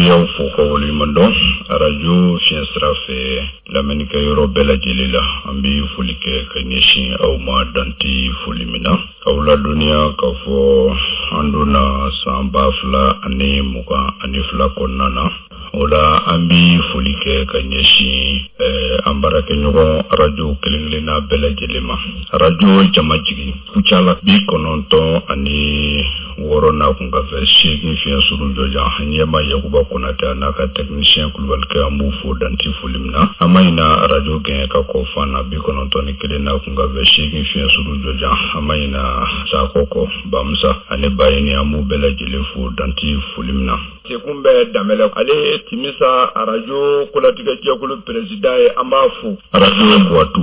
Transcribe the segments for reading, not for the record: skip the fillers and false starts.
bɛ aw fo ka waleɲuman dɔn arajo fiɲɛ sira fɛ lamɛnnikɛ yɔrɔ bɛɛ lajɛlen la. An bɛ foli kɛ ka ɲɛsin aw ma dan tɛ foli min na. K'aw ladɔnniya k'a fɔ an donna san 2022 kɔnɔna na. O la an bɛ foli kɛ ka ɲɛsin eh, an baarakɛɲɔgɔn arajo kelen-kelenna bɛɛ lajɛlen ma. Arajo Jamajigi Kucala 96 n'a kunkanfɛn 8 fiɲɛ suru jɔjan ɲɛma Yakuba Konatɛ a n'a ka tɛkinisiyɛn Kulubalikɛ an b'u fo dan tɛ foli min na. An ma ɲina arajo Gɛɲɛka kɔ Fana 91 n'a kunkanfɛn 8 fiɲɛ suru jɔjan an ma ɲina Sakɔ kɔ Bamusa ani Bayini an b'u bɛɛ lajɛlen fo dan tɛ foli min na. Sekun bɛ Danbɛlɛ ale ye Timisa arajo kolatigɛ jɛkulu peresidan ye an b'a fo. Arajo Buwatu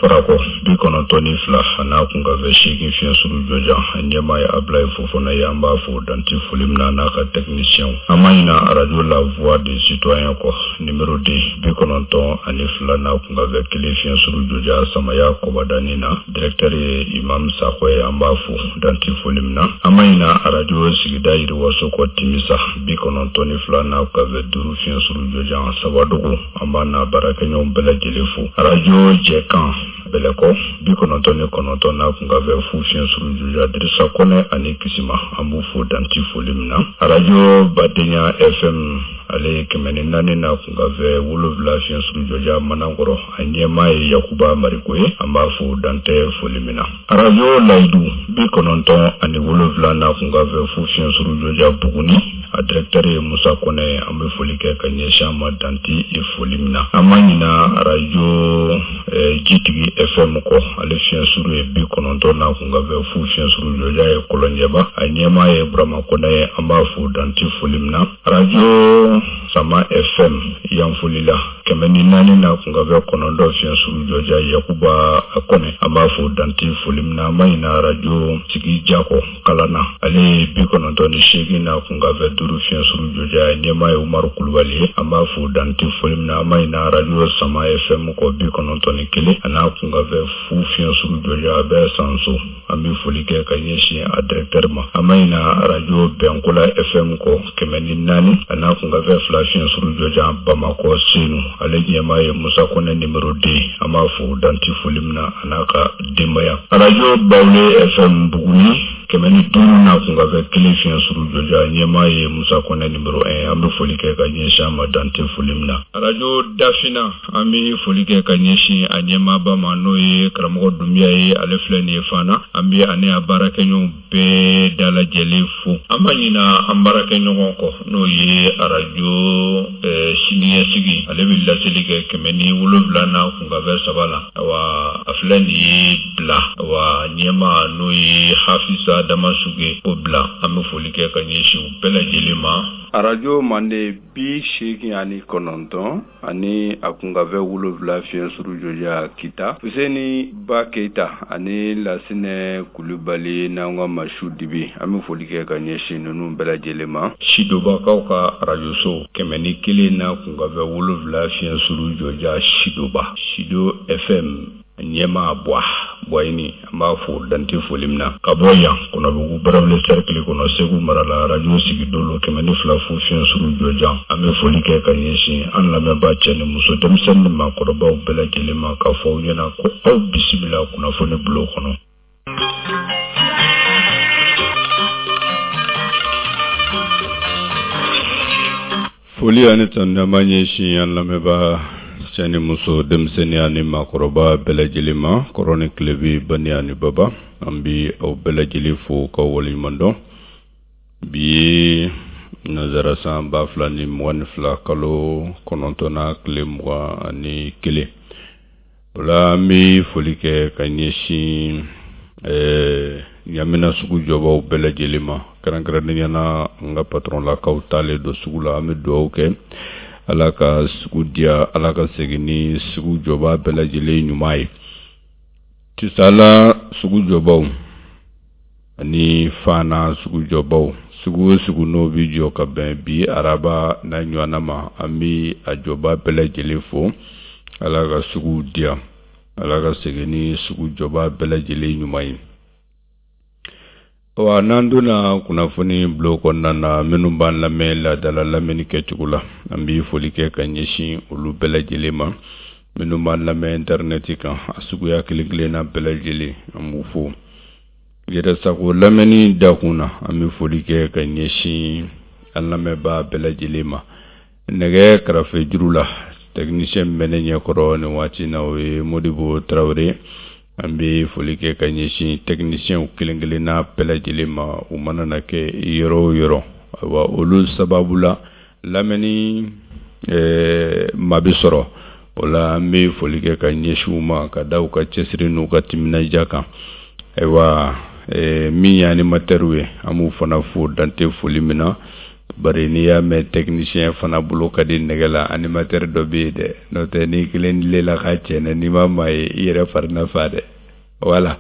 Farakɔ 92 a n'a kunkanfɛn 8 fiɲɛ suru jɔjan a ɲɛmaa ye Abulayi Fofana ye an b'a fo dan tɛ foli min na a n'a ka tɛkinisiyɛnw. An ma ɲina arajo La Voix du Citoyen kɔ nimero 2 92 n'a kunkanfɛn 1 fiɲɛ suru jɔjan Samaya Kɔbadani na. Directeur ye Imam Sakɔ ye an b'a fo dan tɛ foli min na. An ma ɲina arajo sigida yiriwaso kɔ Timisa 92 n'a kunkanfɛn 5 fiɲɛ suru jɔjan Sabadogo an b'a n'a baarakɛɲɔgɔn bɛɛ lajɛlen fo. Arajo Jɛkan Bɛlɛkɔ 99 n'a kunkanfɛn 0 fiɲɛ suru jɔjan Dirisa Kɔnɛ ani Kisima an b'u fo dan tɛ foli min na. Arajo Badenya FM ale ye 104 n'a kunkanfɛn 7 fiɲɛ suru jɔjan Manankɔrɔ a ɲɛmaa ye Yakuba Mariko ye an b'a fo dan tɛ foli min na. Arajo Layidu 97 n'a kunkanfɛn 0 fiɲɛ suru jɔjan Buguni a directeur ye Musa Kɔnɛ ye an bɛ foli kɛ ka ɲɛsin a ma dan tɛ foli min na. An ma ɲina arajo eh, Jitigi FM kɔ ale fiɲɛ suru ye 90 n'a kunkanfɛn 0 fiɲɛ suru jɔjan ye Kɔlɔnjɛba a ɲɛmaa ye Burama Kɔnɛ ye an b'a fo dan tɛ foli min na. Arajo Sama FM Yanfolila 104 n'a kunkanfɛn 9 fiɲɛ suru jɔjan Yakuba Kɔnɛ an b'a fo dan tɛ foli min na. An ma ɲina arajo Sigi Jakɔ Kalana ale ye 98 n'a kunkanfɛn 5 fiɲɛ suru jɔjan a ɲɛmaa ye Umaru Kulubali ye an b'a fo dan tɛ foli min na. An ma ɲina arajo Sama FM kɔ 91 a n'a kunkanfɛn 0 fiɲɛ suru jɔjan a bɛ Sanso. An bɛ foli kɛ ka ɲɛsin a directeur ma. An ma ɲina arajo Bɛnkola FM kɔ 104 a n'a kunkanfɛn 2 fiɲɛ suru jɔjan Bamakɔ Senu. Ale ɲɛmaa ye Musa Kɔnɛ numéro 2. An b'a fo dan tɛ foli min na a n'a ka denbaya. Arajo Bawule FM Buguni 105 n'a kunkanfɛn 1 fiɲɛ suru jɔjan a ɲɛmaa ye Musa Kɔnɛ numéro 1. An bɛ foli kɛ ka ɲɛsin a ma dan tɛ foli min na. Arajo Dafina. An bɛ foli kɛ ka ɲɛsin a ɲɛmaaba ma n'o ye karamɔgɔ Dunbiya ye ale filɛ nin ye Fana an bɛ ani a baarakɛɲɔgɔnw bɛɛ dalajɛlen fo an ma ɲina an baarakɛɲɔgɔn kɔ n'o ye arajo siniɲɛsigi ale bɛ laseli kɛ 107 n'a kunkanfɛn 3 la awa a filɛ nin ye bila awa ɲɛmaa n'o ye Hafisa Damasuge o bila an bɛ foli kɛ ka ɲɛsin u bɛɛ lajɛlen ma. Arajo Mande 89 ani a kunkanfɛn 7 fiɲɛ suru jɔjan Kita Fuseni Ba Keyita ani Lasinɛ Kulubali n'an ka Masu Dibi an bɛ foli kɛ ka ɲɛsin ninnu bɛɛ lajɛlen ma. Sidobakaw ka arajoso 101 n'a kunkanfɛn 7 fiɲɛ suru jɔjan Sidoba Sido FM. Ɲɛmaa Buwa Buwayini an b'a fo dan tɛ foli min na ka bɔ yan Kɔnɔbugu Barawele cercle kɔnɔ Segu mara la arajo Sigidolo 102.0 fiɲɛ suru jɔjan an bɛ foli kɛ ka ɲɛsin an lamɛnbaa cɛ ni muso denmisɛnnin ni maakɔrɔbaw bɛɛ lajɛlen ma k'a fɔ aw ɲɛna ko aw bisimila kunnafoni bulon kɔnɔ. Foli ani tanuni an b'a ɲɛsin an lamɛnbaa cɛ ni muso denmisɛnnin ani maakɔrɔba bɛɛ lajɛlen ma kɔrɔn ni tilebin bani ani baba an bɛ aw bɛɛ lajɛlen fo k'aw waleɲuman dɔn bi ye nanzara san 2022 kalo kɔnɔntɔnnan tile 21 O la an bɛ foli kɛ ka ɲɛsin ɲamina sugu jɔbaw bɛɛ lajɛlen ma kɛrɛnkɛrɛnnenya na an ka patɔrɔnlakaw taalen don sugu la an bɛ dugawu kɛ ala ka sugu diya ala ka segin ni sugu jɔba bɛɛ lajɛlen ɲuman ye Tisala sugu jɔbaw ani Fana sugu jɔbaw sugu o sugu n'o bɛ jɔ ka bɛn bi araba n'a ɲɔgɔnna ma an bɛ a jɔba bɛɛ lajɛlen fo ala ka sugu diya ala ka segin ni sugu jɔba bɛɛ lajɛlen ɲuman ye. Wa n'an donna kunnafoni bulon kɔnɔna na, minnu b'an lamɛn laadala lamɛnni kɛcogo la, an bɛ foli kɛ ka ɲɛsin olu bɛɛ lajɛlen ma. Minnu b'an lamɛn intɛrɛnɛti kan, a suguya kelen kelenna bɛɛ lajɛlen, an b'u fo. Yɛrɛsago lamɛnni dakun na, an bɛ foli kɛ ka ɲɛsin an lamɛnbaa bɛɛ lajɛlen ma. Nɛgɛ karafe juru la, technicien min bɛ ne ɲɛkɔrɔ nin waati in na, o ye Modibo Tarawele. An bɛ foli kɛ ka ɲɛsin technicienw kelen kelenna bɛɛ lajɛlen ma, u mana na kɛ yɔrɔ o yɔrɔ. Ayiwa, olu sababu la lamɛnni maa bɛ sɔrɔ o la. An bɛ foli kɛ ka ɲɛsin u ma ka da u ka cɛsiri n'u ka timinandiya kan. Ayiwa, min ye animatɛriw ye, an b'u fana fo dante foli min na. Bari n'i y'a mɛn technicien fana bolo ka di nɛgɛ la, animateur dɔ bɛ yen dɛ. N'o tɛ, n'i kelen lela ka cɛnɛ, n'i ma maa ye, i yɛrɛ fari na fa dɛ. Wala,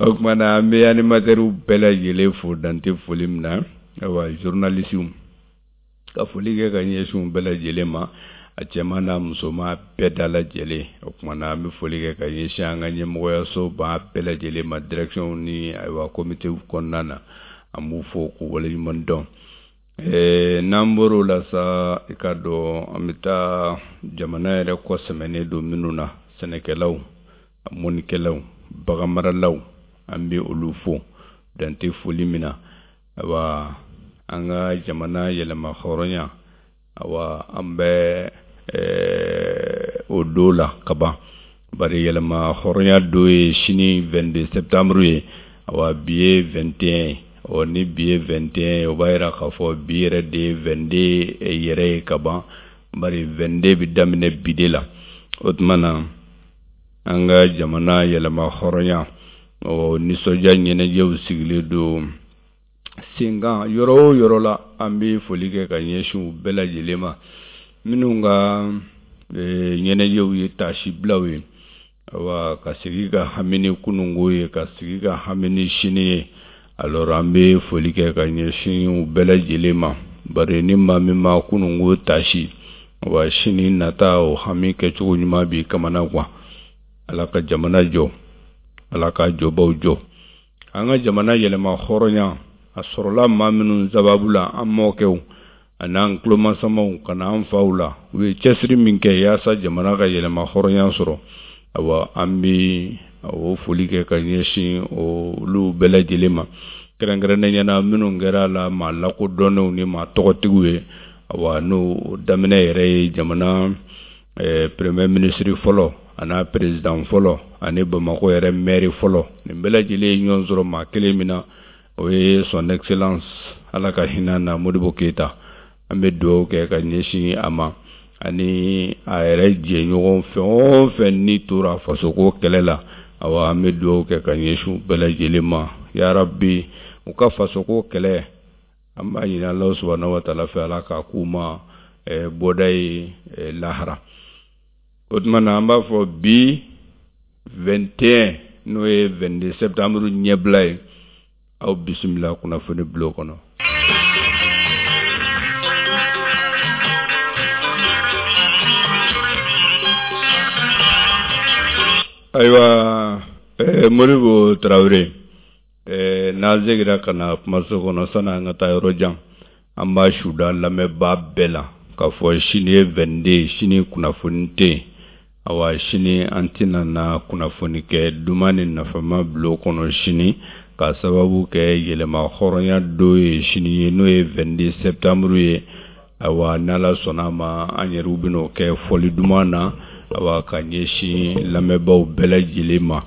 o tuma na an bɛ animatɛriw bɛɛ lajɛlen fo dante foli min na. Ayiwa, journalisiw, ka foli kɛ ka ɲɛsin u bɛɛ lajɛlen ma, a cɛman n'a musoman bɛɛ da lajɛlen. O tuma na an bɛ foli kɛ ka ɲɛsin an ka ɲɛmɔgɔyaso ba bɛɛ lajɛlen ma, direction ni ayiwa comité kɔnɔna na, an b'u fo k'u waleɲuman dɔn. N'an bɔr'o la sa, i ka dɔn an bɛ taa jamana yɛrɛ kɔ sɛmɛnen don minnu na, sɛnɛkɛlaw, mɔnikɛlaw, baganmaralaw, an bɛ olu fo dante foli min na. Ayiwa, an ka jamana yɛlɛma hɔrɔnya, awa, an bɛ o don la kaban. Bari yɛlɛma hɔrɔnya don ye sini 22 septembre ye. Awa, bi ye 21 ye. Ɔ, ni bi ye 21 ye, o b'a yira k'a fɔ bi yɛrɛ de ye 22 yɛrɛ ye kaban. Bari 22 bɛ daminɛ bi de la. O tuma na an ka jamana yɛlɛma hɔrɔnya, ɔ, nisɔndiya ɲɛnajɛw sigilen don sen kan yɔrɔ o yɔrɔ la. An bɛ foli kɛ ka ɲɛsin u bɛɛ lajɛlen ma, minnu ka ɲɛnajɛw ye taasibilaw ye, awa, ka sigi ka hami ni kununko ye, ka sigi ka hami ni sini ye. Alors, an bɛ foli kɛ ka ɲɛsin u bɛɛ lajɛlen ma. Bari ni maa min ma kununko taasi, wa sini nata o hami kɛcogo ɲuman b'i kamana gan. Ala ka jamana jɔ, Ala ka jɔbaw jɔ. An ka jamana yɛlɛma hɔrɔnya, a sɔrɔla maa minnu sababu la, an mɔkɛw an'an tulomasamaw ka na an faw la, u ye cɛsiri min kɛ yaasa jamana ka yɛlɛma hɔrɔnya sɔrɔ, awa, an bɛ o foli kɛ ka ɲɛsin olu bɛɛ lajɛlen ma, kɛrɛnkɛrɛnnenya na minnu kɛra la maa lakodɔnnenw ni maa tɔgɔtigiw ye. Awa, n'o daminɛ yɛrɛ ye jamana premier ministre fɔlɔ an'a président fɔlɔ ani Bamakɔ yɛrɛ maire fɔlɔ. Nin bɛɛ lajɛlen ye ɲɔgɔn sɔrɔ maa kelen min na, o ye Son Excellence, Ala ka hinɛ na, Modibo Keyita. An bɛ dugawu kɛ ka ɲɛsin a ma ani a yɛrɛ jɛɲɔgɔn fɛn o fɛn ni tora fasoko kɛlɛ la. Awa, an bɛ dugawu kɛ ka ɲɛsin bɛɛ lajɛlen ma. Yarabi, u ka fasoko kɛlɛ, an b'a ɲini Ala subahana wa taala fɛ, Ala k'a k'u ma bɔda ye lahara. O tuma na an b'a fɔ bi 21, n'o ye 22 septembre ɲɛbila ye, aw bisimila kunnafoni bulon kɔnɔ. Ayiwa, Modibo Tarawele, n'an seginna ka na kumaso kɔnɔ, sani an ka taa yɔrɔ jan, an b'a suda lamɛnbaa bɛɛ la k'a fɔ sini ye 22, sini kunnafoni tɛ yen. Awa, sini an tɛna na kunnafoni kɛ duman ni nafama bulon kɔnɔ sini, k'a sababu kɛ yɛlɛma hɔrɔnya don ye sini ye, n'o ye 22 septembre ye. Ayiwa, n'Ala sɔnna a ma, an yɛrɛw bɛn'o kɛ fɔli duman na, awa, ka ɲɛsin lamɛnbaaw bɛɛ lajɛlen ma.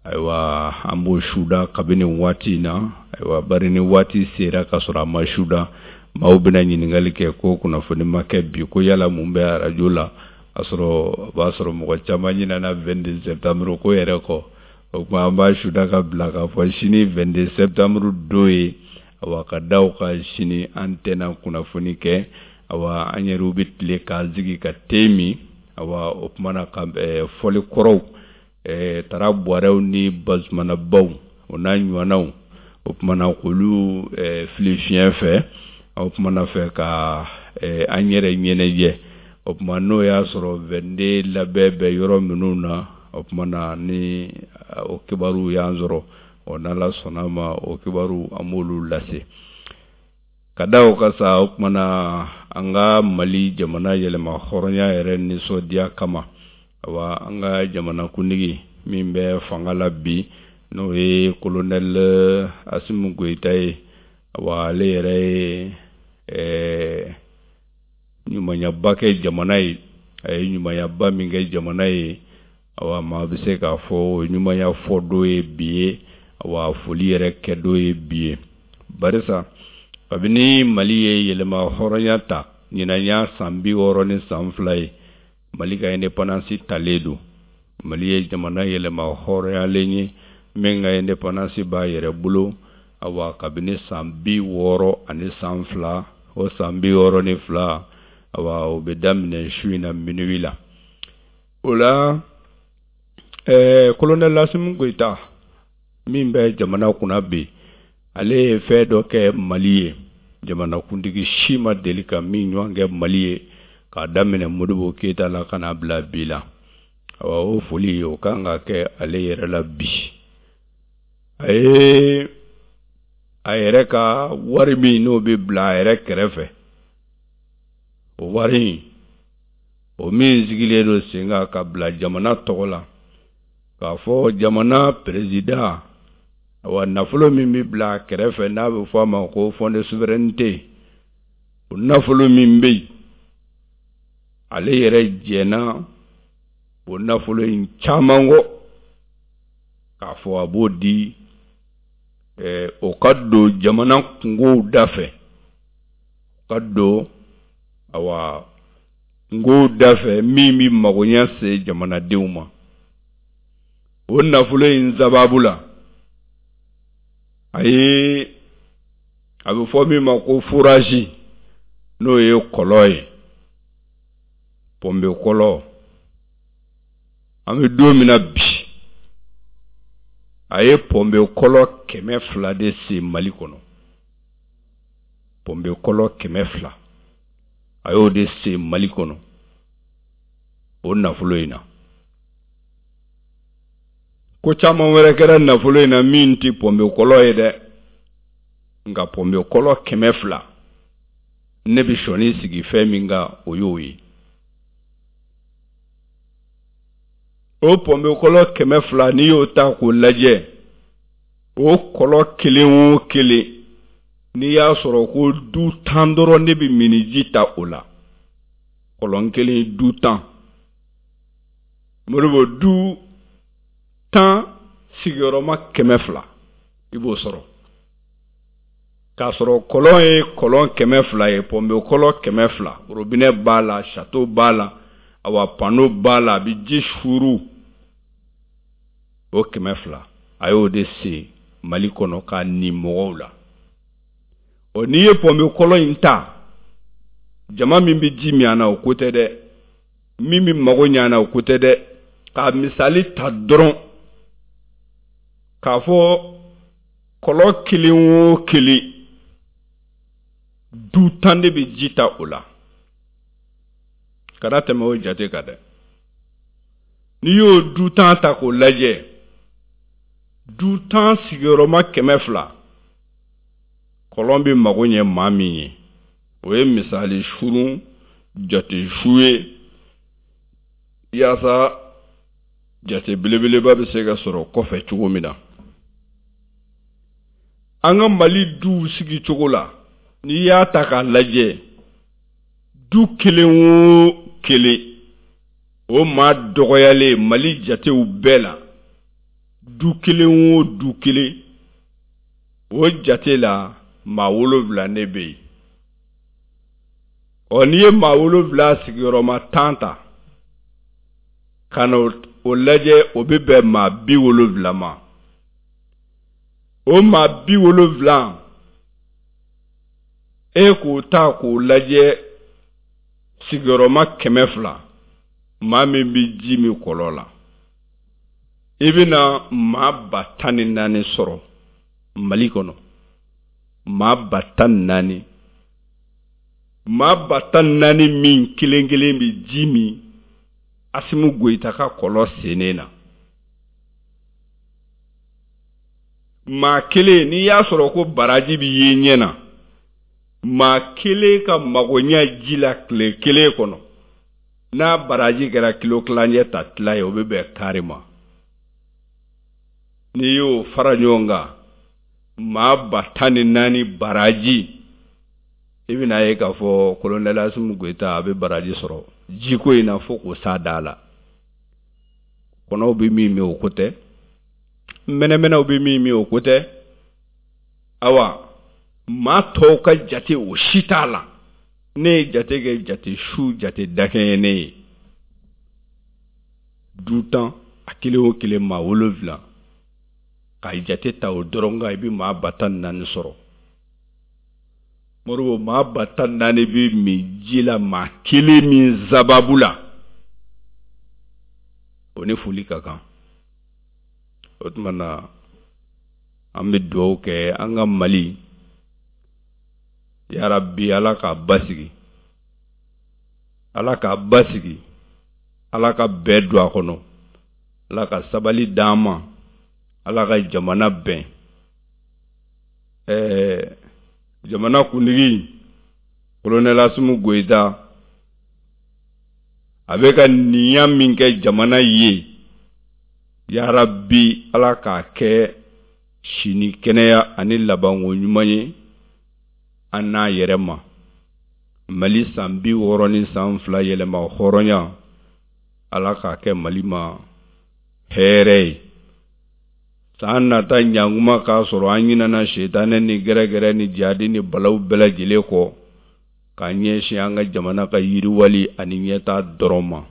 Ayiwa, an b'o suda kabini waati in na. Ayiwa, bari ni waati sera ka sɔrɔ a ma suda, maaw bɛna ɲininkali kɛ ko kunnafoni ma kɛ bi, ko yala mun bɛ arajo la? A sɔrɔ o b'a sɔrɔ mɔgɔ caman ɲinɛna 22 septembre ko yɛrɛ kɔ. O tuma an b'a suda ka bila k'a fɔ sini 22 septembre don ye. Awa, ka da o kan, sini an tɛna kunnafoni kɛ. Awa, an yɛrɛw bɛ tile k'an sigi ka te min. Awa, o tuma na ka fɔli kɔrɔw, tara buwarɛw ni bazumanabaw, o n'a ɲɔgɔnnaw, o tuma na k'olu fili fiɲɛ fɛ, o tuma na fɛ ka an yɛrɛ ɲɛnajɛ. O tuma n'o y'a sɔrɔ 22 labɛn bɛ yɔrɔ minnu na, o tuma na ni o kibaru y'an sɔrɔ. Ɔ n'Ala sɔnna a ma, o kibaru an b'olu lase. Ka da o kan sa, o tuma na an ka Mali jamana yɛlɛma hɔrɔnya yɛrɛ nisɔndiya kama, awa an ka jamanakuntigi min bɛ fanga la bi, n'o ye colonel Asimi Goyita ye, awa ale yɛrɛ ye ɲumanyaba kɛ jamana ye. A ye ɲumanyaba min kɛ jamana ye, awa maa bɛ se k'a fɔ o ɲumanya fɔ don ye bi ye, awa foli yɛrɛ kɛ don ye bi ye. Barisa kabini Mali ye yɛlɛma hɔrɔnya ta, ɲinan y'a san 62 ye Mali ka indépendance talen don. Mali ye jamana yɛlɛma hɔrɔnyalen ye min ka indépendance b'a yɛrɛ bolo, awa kabini san 62, o san 62, awa o bɛ daminɛ su in na minuit la. O la colonel Asimi Goyita min bɛ jamana kunna bi, ale ye fɛn dɔ kɛ Mali ye, jamanakuntigi si ma deli ka min ɲɔgɔn kɛ Mali ye k'a daminɛ Modibo Keyita la ka n'a bila bi la. Awa o foli o kan ka kɛ ale yɛrɛ la bi. A ye a yɛrɛ ka wari min n'o bɛ bila a yɛrɛ kɛrɛfɛ, o wari in o min sigilen don sen kan ka bila jamana tɔgɔ la, k'a fɔ jamana président, awa nafolo min bɛ bila a kɛrɛfɛ n'a bɛ fɔ a ma ko fonds de souveraineté, o nafolo min bɛ yen, ale yɛrɛ jɛnna o nafolo in caman kɔ k'a fɔ a b'o di o ka don jamana kungow da fɛ, o ka don awa kungow da fɛ min bɛ magoɲɛ se jamanadenw ma. O nafolo in sababu la, a ye a bɛ fɔ min ma ko forage, n'o ye kɔlɔn ye, pɔnpe kɔlɔn. An bɛ don min na bi, a ye pɔnpe kɔlɔn 200 de sen Mali kɔnɔ. Pɔnpe kɔlɔn 200, a y'o de sen Mali kɔnɔ o nafolo in na. Ko caman wɛrɛ kɛra nafolo in na min tɛ pɔnpe kɔlɔn ye dɛ, nka pɔnpe kɔlɔn 200, ne bɛ sɔnni sigi fɛn min kan, o y'o ye. O pɔnpe kɔlɔn 200, n'i y'o ta k'o lajɛ, o kɔlɔn kelen o kelen, n'i y'a sɔrɔ ko du 10 dɔrɔn de bɛ miniji ta o la, kɔlɔn kelen du 10, Modibo, du 10 sigiyɔrɔma 200, i b'o sɔrɔ. K'a sɔrɔ kɔlɔn ye kɔlɔn 200 ye, pɔnpe kɔlɔn 200, robinet b'a la, château b'a la, awa panneau b'a la, a bɛ ji suuru. O 200, a y'o de sen Mali kɔnɔ k'a nin mɔgɔw la. Ɔ n'i ye pɔnpe kɔlɔn in ta, jama min bɛ ji min a na, o ko tɛ dɛ, min bɛ mago ɲɛ a na, o ko tɛ dɛ. K'a misali ta dɔrɔn k'a fɔ kɔlɔn kelen o kelen, du 10 de bɛ ji ta o la, kana tɛmɛ o jate kan dɛ. N'i y'o du 10 ta k'o lajɛ, du 10 sigiyɔrɔma 200, kɔlɔn bɛ mago ɲɛ maa min ye, o ye misali surun jate su ye, yaasa jate belebeleba bɛ se ka sɔrɔ kɔfɛ cogo min na. An ka Mali duw sigi cogo la, n'i y'a ta k'a lajɛ, du kelen o kelen, o maa dɔgɔyalen Mali jatew bɛɛ la, du kelen o du kelen, o jate la maa 7 de bɛ yen. Ɔ n'i ye maa 7 sigiyɔrɔma 10 ta ka na o lajɛ, o bɛ bɛn maa 70 ma. O maa 70, e k'o ta k'o lajɛ sigiyɔrɔma 200, maa min bɛ ji min kɔlɔn la, i bɛna maa 14,000 sɔrɔ Mali kɔnɔ. Maa 14,000, maa 14,000 min kelen kelen bɛ ji min Asimi Goyita ka kɔlɔn sennen na. Maa kelen, n'i y'a sɔrɔ ko baraji bɛ ye ɲɛ na, maa kelen ka magoɲɛ ji la tile kelen kɔnɔ, n'a baraji kɛra kilo tilancɛ ta tila ye, o bɛ bɛn kari ma. N'i y'o fara ɲɔgɔn kan, maa 14,000 baraji, i bɛna ye k'a fɔ kolonɛli Asimi Goyita a bɛ baraji sɔrɔ jiko in na fo k'o s'a da la. Kɔnɔw bɛ min min, o ko tɛ. Mɛnɛmɛnɛw bɛ min min, o ko tɛ. Awa, maa tɔw ka jate, o si t'a la. Ne ye jate kɛ, jate su, jate dakɛɲɛ ne ye. Du 10, a kelen o kelen maa 7, ka jate ta o dɔrɔn kan, i bɛ maa 14,000 sɔrɔ. Moribo, maa 14,000 bɛ min ji la maa kelen min sababu la, o ni foli ka kan. O tuma na, an bɛ dugawu kɛ an ka Mali, yarabi Ala k'a basigi, Ala k'a basigi, Ala ka bɛɛ don a kɔnɔ, Ala ka sabali d'an ma, Ala ka jamana bɛn. Jamana kuntigi kolonɛli Asimi Goyita, a bɛ ka ninya min kɛ jamana ye, yarabi Ala k'a kɛ sini kɛnɛya ani labanko ɲuman ye an n'a yɛrɛ ma. Mali san 62 yɛlɛma hɔrɔnya, Ala k'a kɛ Mali ma hɛrɛ ye. San nata ɲankuma k'a sɔrɔ an ɲinana setanɛ ni gɛrɛgɛrɛ ni jadi ni balaw bɛɛ lajɛlen kɔ, k'an ɲɛsin an ka jamana ka yiriwali ani ɲɛtaa dɔrɔn ma.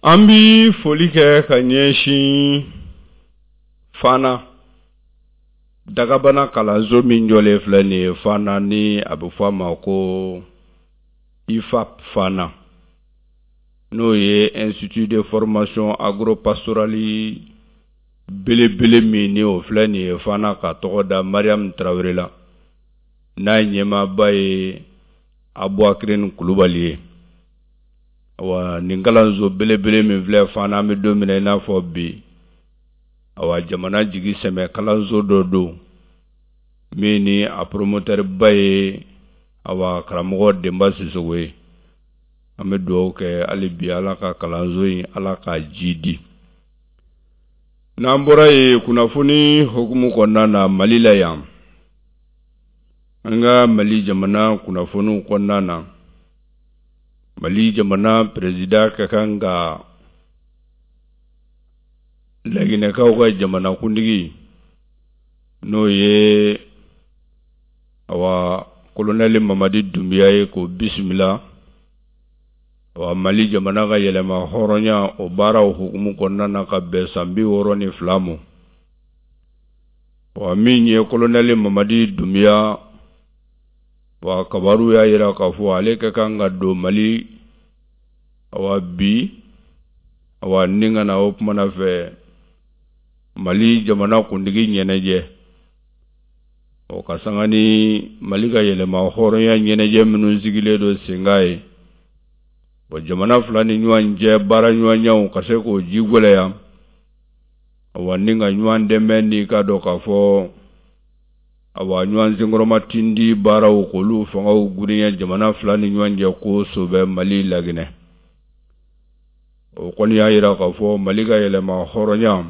An bi foli kɛ ka ɲɛsin Fana dagabana kalanso min jɔlen filɛ nin ye Fana, ni a bɛ fɔ a ma ko IFAP Fana, n'o ye Institut de formation agropastorale belebele min ni o filɛ nin ye Fana, ka tɔgɔ da Mariam Tarawele la, n'a ɲɛmaaba ye Abuakirine Kulubali ye. Awa, nin kalanso belebele min filɛ Fana, an bɛ don min na i n'a fɔ bi, awa, jamana jigi sɛmɛ kalanso dɔ don min ni a promoteur ba ye, awa, karamɔgɔ Denba Sisoko ye. An bɛ dugawu kɛ hali bi, Ala ka kalanso in, Ala k'a ji di. N'an bɔra yen, kunnafoni hukumu kɔnɔna na Mali la yan, an ka Mali jamana kunnafoniw kɔnɔna na, Mali jamana président ka kan ka Laginɛkaw ka jamanakuntigi, n'o ye, awa, kolonɛli Mamadi Dunbiya ye, k'o bisimila, awa, Mali jamana ka yɛlɛma hɔrɔnya o baaraw hukumu kɔnɔna na, ka bɛn san 62 ma. Wa min ye kolonɛli Mamadi Dunbiya, wa kabaru y'a jira k'a fɔ ale ka kan ka don Mali, awa, bi, awa, ni ka na o kumana fɛ Mali jamana kuntigi ɲɛnajɛ, o ka sanga ni Mali ka yɛlɛma hɔrɔnya ɲɛnajɛ minnu sigilen don senkan ye. Bon, jamana fila ni ɲɔgɔn cɛ baara ɲɔgɔnyaw ka se k'o ji gwɛlɛya, awa, ni ka ɲɔgɔn dɛmɛ, ni ka dɔn k'a fɔ, awa, ɲɔgɔn senkɔrɔma tindi baaraw, k'olu fangaw girinya jamana fila ni ɲɔgɔn cɛ ko sobɛ Mali Laginɛ. O kɔni y'a jira k'a fɔ Mali ka yɛlɛma hɔrɔnya,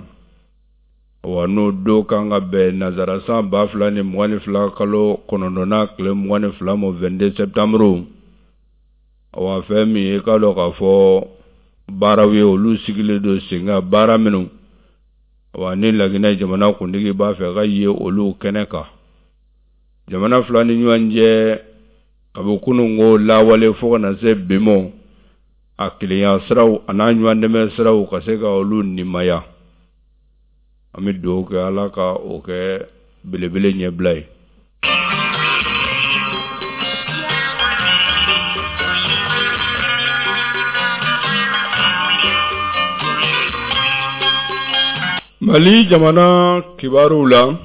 awa, n'o don kan ka bɛn nazara san 2022 kalo 9nan tile 22 ma, 22 septembre. Awa, fɛn min ye, k'a dɔn k'a fɔ baaraw ye, olu sigilen don sen kan, baara minnu, awa, ni Laginɛ jamana kuntigi b'a fɛ ka ye olu kɛnɛ kan. Jamana fila ni ɲɔgɔn cɛ, kabi kunun ko lawale fo ka na se bi ma, a kelenya siraw a n'a ɲɔgɔn dɛmɛ siraw ka se ka olu nimaya. An bɛ dugawu kɛ, Ala ka o kɛ belebele ɲɛbila ye. Mali jamana kibaruw la,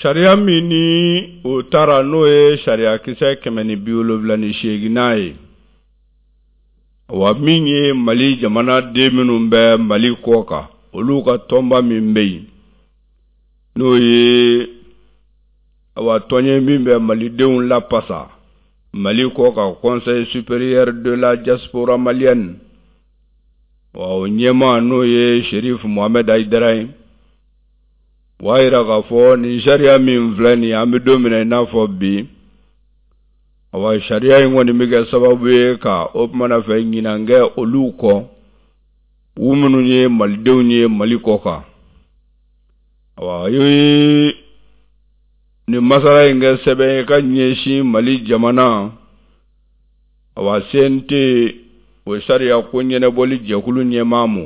Sariya min ni o tara n'o ye sariyakisɛ 178nan ye, wa min ye Mali jamana den minnu bɛ Mali kɔ kan, olu ka tɔnba min bɛ yen, n'o ye awa tɔn ye min bɛ malidenw lapasa Mali kɔ kan, Conseil supérieur de la diaspora malienne, wa o ɲɛmaa n'o ye Cherif Mohamed Haidara ye, o y'a jira k'a fɔ nin sariya min filɛ nin ye, an bɛ don min na i n'a fɔ bi, awa sariya in kɔni bɛ kɛ sababu ye ka o tumana fɛ ɲinan kɛ olu kɔ, u minnu ye malidenw ye Mali kɔ kan. Awa ye nin masala in kɛ sɛbɛn ye ka ɲɛsin Mali jamana, awa CNT o sariya ko ɲɛnabɔli jɛkulu ɲɛmaa ma,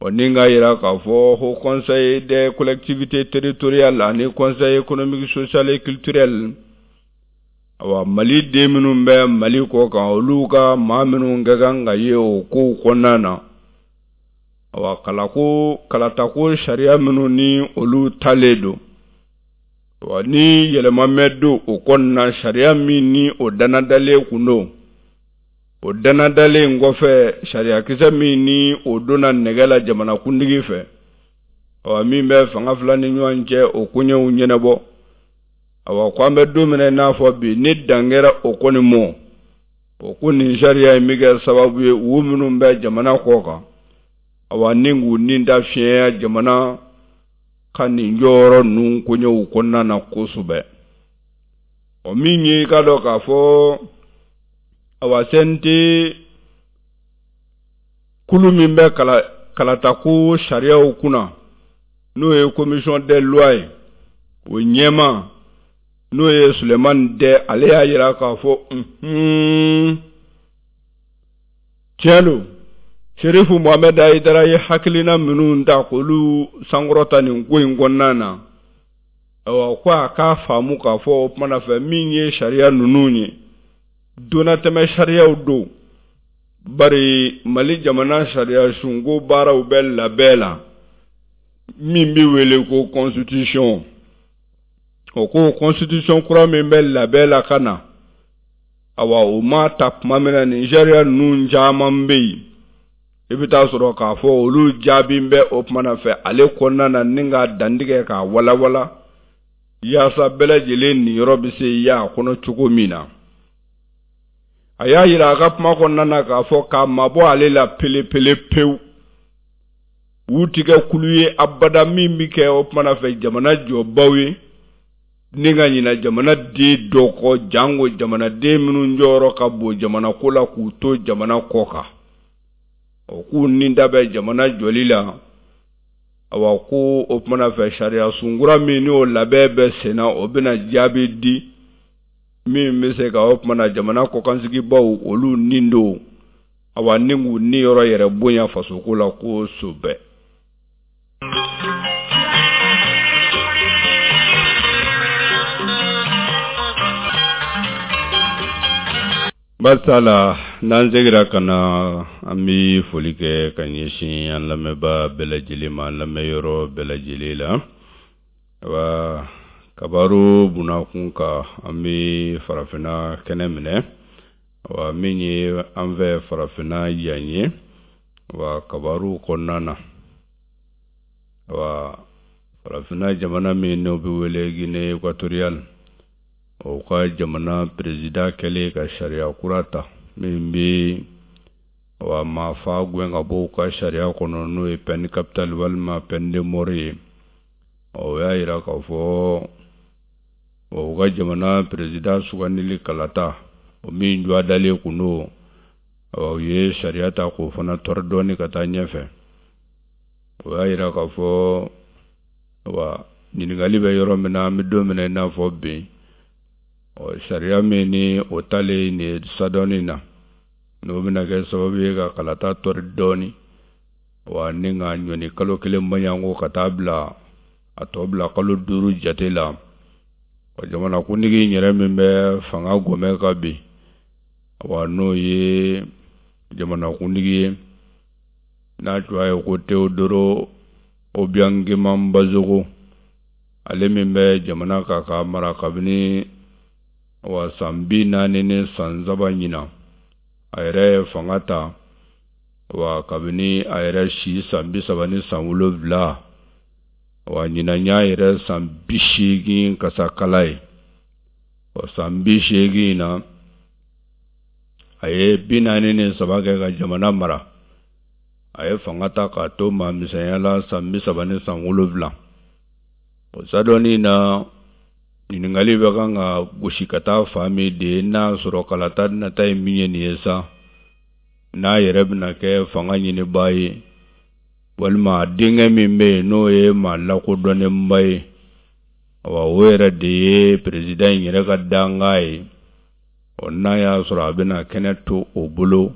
o ni k'a jira k'a fɔ Haut Conseil des collectivités territoriales ani Conseil économique social et culturel, awa Mali den minnu bɛ Mali kɔ kan, olu ka maa minnu ka kan ka ye o kow kɔnɔna na, awa kalako kalatako sariya minnu ni olu talen don, wa ni yɛlɛma mɛ don o kɔnɔna, sariya min ni o danadalen kun don, o danadalen kɔfɛ sariyakisɛ min ni o donna nɛgɛ la jamanakuntigi fɛ, awa min bɛ fanga fila ni ɲɔgɔn cɛ o koɲɛw ɲɛnabɔ, awa ko an bɛ don min na i n'a fɔ bi, ni dan kɛra o kɔni mɔ, o ko nin sariya in bɛ kɛ sababu ye u minnu bɛ jamana kɔ kan, awa ni k'u ni da fiɲɛya jamana ka nin jɔyɔrɔ ninnu koɲɛw kɔnɔna na kosɛbɛ. O min ye i k'a dɔn k'a fɔ awa CNT kulu min bɛ kalatako sariyaw kunna, n'o ye commission des lois ye, o ɲɛmaa n'o ye Sulemani Dɛ, ale y'a jira k'a fɔ tiɲɛ don, Serifu Mohamɛd Hayidara ye hakilina minnu ta k'olu sankɔrɔta nin ko in kɔnɔna na, ayiwa ko a k'a faamu k'a fɔ o tumana fɛ min ye sariya ninnu ye, donnatɛmɛ sariyaw don, bari Mali jamana sariya sunko baaraw bɛ labɛn la min bɛ wele ko constitution. O ko constitution kura min bɛ labɛn la ka na, awa o ma ta tuma min na, nin sariya ninnu caman bɛ yen, i bɛ taa sɔrɔ k'a fɔ olu jaabi bɛ o tumana fɛ ale kɔnɔna na, ni k'a dantigɛ k'a walawala yaasa bɛɛ lajɛlen niyɔrɔ bɛ se y'a kɔnɔ cogo min na. A y'a jira a ka kuma kɔnɔna na k'a fɔ k'a mabɔ ale la pelepele pewu, u ti kɛ kulu ye abada min bɛ kɛ o tumana fɛ jamana jɔbaw ye, ni ka ɲina jamana den dɔ kɔ, janko jamanaden minnu jɔyɔrɔ ka bon jamana ko la k'u to jamana kɔ kan, o k'u ni da bɛ jamana jɔli la. Awa ko o tumana fɛ sariya sunkura min n'o labɛn bɛ senna, o bɛna jaabi di min bɛ se ka o tumana jamana kɔkansigibaw olu nin don, awa ni k'u niyɔrɔ yɛrɛ bonya fasoko la kosɛbɛ. Barisa la n'an segira ka na, an bɛ foli kɛ ka ɲɛsin an lamɛnbaa bɛɛ lajɛlen ma, an lamɛnyɔrɔ bɛɛ lajɛlen la. Awa kabaru bunakun kan, an bɛ farafinna kɛnɛ minɛ, awa min ye an fɛ farafinna yan ye, awa kabaru kɔnɔna na, awa farafinna jamana min n'o bɛ wele Guinée équatoriale, o ka jamana peresidan kɛlen ka sariya kura ta min bɛ awa maafa gɛn ka bɔ u ka sariya kɔnɔ, n'o ye peine capitale walima peine de mort ye, o y'a jira k'a fɔ u ka jamana peresidan sugandili kalata o min jɔ dalen kun don, u ye sariya ta k'o fana tɔrɔ dɔɔni ka taa ɲɛfɛ. O y'a jira k'a fɔ wa ɲininkali bɛ yɔrɔ min na, an bɛ don min na i n'a fɔ bi, ɔ sariya min ni o talen nin ye sadɔnni na, n'o bɛna kɛ sababu ye ka kalata tɔri dɔɔni, wa ni ka ɲɔni kalo kelen maɲanko ka taa bila a tɔ bila kalo 5 jate la. Wa jamanakuntigi in yɛrɛ min bɛ fanga gɔmɛ kan bi, wa n'o ye jamanakuntigi ye n'a tɔgɔ ye ko Teodoro Obiang Nguema Mbasogo, Ale min bɛ jamana kan k'a mara kabini wa san 43 ɲinan, a yɛrɛ ye fanga ta wa kabini a yɛrɛ si san 37, wa ɲinan y'a yɛrɛ san 80 kasakala ye. O san 80 na, a ye 43 kɛ ka jamana mara. A ye fanga ta k'a to maa misɛnya la san 37. O sadɔnni na, ɲininkali bɛ kan ka gosi ka taa fan min de, n'a sɔrɔ kalata nata ye min ye nin ye sa, n'a yɛrɛ bɛna kɛ fanga ɲinibaa ye, walima a denkɛ min bɛ yen, n'o ye maa lakodɔnnenba ye, awa o yɛrɛ de ye peresidan in yɛrɛ ka dankan ye. Ɔ, n'a y'a sɔrɔ a bɛna kɛnɛ to o bolo,